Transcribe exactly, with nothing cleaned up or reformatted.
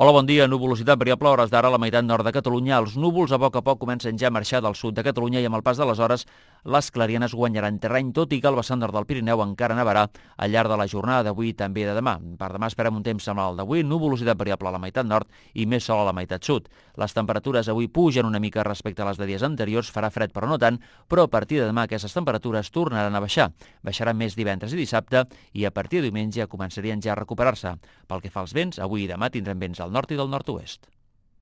Hola, bon dia. Nuvolositat variable a hores d'ara a la meitat nord de Catalunya. Els núvols a poc a poc comencen ja a marxar del sud de Catalunya i amb el pas de les hores les clarianes guanyaran terreny, tot i que el vessant nord del Pirineu encara nevarà al llarg de la jornada d'avui i també de demà. Per demà esperem un temps semblant al d'avui, nuvolositat variable a la meitat nord i més sol a la meitat sud. Les temperatures avui pugen una mica respecte a les de dies anteriors, farà fred però no tant, però a partir de demà aquestes temperatures tornaran a baixar. Baixaran més divendres i dissabte i a partir de diumenge començarien ja a recuperar-se. Pel que fa als vents, avui i demà tindrem vents al nord i del nord-oest.